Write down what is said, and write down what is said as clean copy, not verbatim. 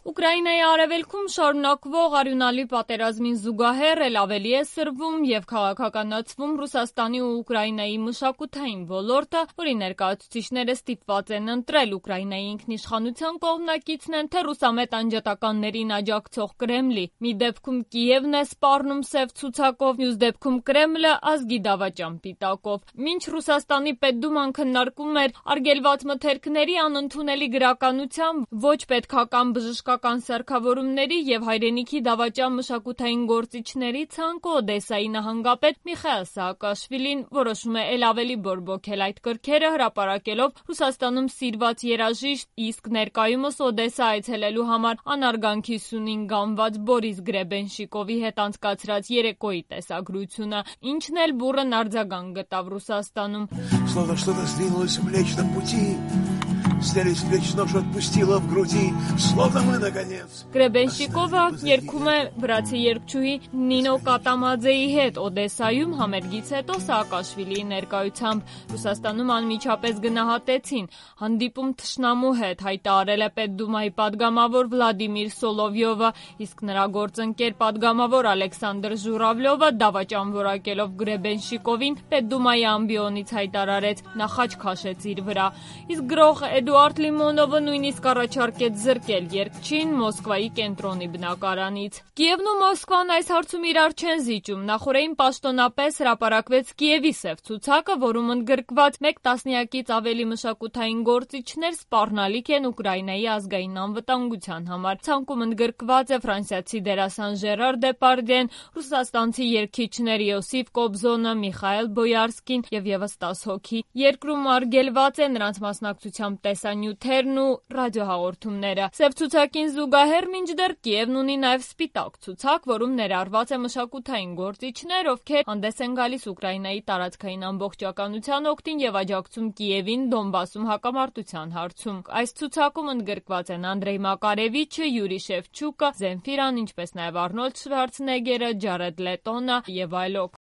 Ուկրաինայի արևելքում շարունակվող արյունալի պատերազմին զուգահեռ էլ ավելի է սրվում և քաղաքականացվում Ռուսաստանի ու Ուկրաինայի մշակութային ոլորտը, որի ներկայացուցիչները ստիպված են ընտրել Ուկրաինայի ինքնիշխանության կողմնակիցն են, թե ռուսամետ անջատականներին աջակցող Կրեմլի։ Մի դեպքում Կիևն է սպառնում սև ցուցակով, մյուս դեպքում Կրեմլը ազգի դավաճան պիտակով։ Մինչ Ռուսաստանի Պետդուման քննարկում էր արգելված մթերքների անընդունելի գրականության, ոչ պետքական բժշկական սարքավորումների և հայրենիքի դավաճան մշակութային գործիչների ցանկը, Օդեսայի նահանգապետ Միխայիլ Սաակաշվիլին որոշում է էլ ավելի բորբոքել այդ կրքերը, հրապարակելով Ռուսաստանում սիրված երաժիշտ, իսկ ներկայումս Օդեսա այցելելու համար անարգանքի սյունին գանված Բորիս Գրեբենշիկովի հետ անցկացրած երեկոյի տեսագրությունը, ինչն էլ բուռն արձագանք գտավ Ռուսաստանում։ Словно что-то сдвинулось в Млечном пути. Снялись с плеч нож, отпустила в груди, словно мы наконец. Գրեբենշիկովը երգում է վրացի երգչուհի Նինո Կատամաձեի հետ Օդեսայում համերգից հետո Սաակաշվիլիի ներկայությամբ։ Ռուսաստանում անմիջապես գնահատեցին։ Հանդիպում թշնամու հետ հայտարարել է Պետդումայի падգամավոր Վլադիմիր Սոլովյովը, իսկ նրա գործընկեր падգամավոր Ալեքսանդր Ժուրավլյովը դավաճան որակելով Գրեբենշիկովին Պետդումայի ամբիոնից հայտարարեց՝ նա խաչ քաշեց իր վրա։ Իսկ գրող Էդուարդ Լիմոնովը նույնիսկ առաջարկեց զրկել երգչին Մոսկվայի կենտրոնի բնակարանից։ Կիևն ու Մոսկվան այս հարցում իրար չեն զիջում։ Նախորդին պաշտոնապես հրապարակվեց Կիևի սև ցուցակը, որում ընդգրկված մեկ տասնյակից ավելի մշակութային գործիչներ սպառնալիք են Ուկրաինայի ազգային անվտանգության համար։ Ցանկում ընդգրկված է ֆրանսիացի դերասան Ժերար Դեպարդյեն, ռուսաստանցի երգիչներ Յոսիֆ Կոբզոնը, Միխայիլ Բոյարսկին և ևս 10 հոգի։ Երկրում արգելված է նրանց մասնակցությամբ տեսանյութերն ու ռադիոհաղորդումները։ Սև ցուցակին զուգահեռ մինչդեռ Կիևն ունի նաև սպիտակ ցուցակ, որում ներառված է մշակութային գործիչներ, ովքեր հանդես են գալիս Ուկրաինայի տարածքային ամբողջականության օգտին և աջակցում Կիևին Դոնբասում հակամարտության հարցում։ Այս ցուցակում ընդգրկված են Անդրեյ Մակարևիչը, Յուրի Շևչուկը, Զենֆիրան, ինչպես նաև Արնոլդ Շվարցնեգերը, Ջարեդ Լետոնը և այլոք։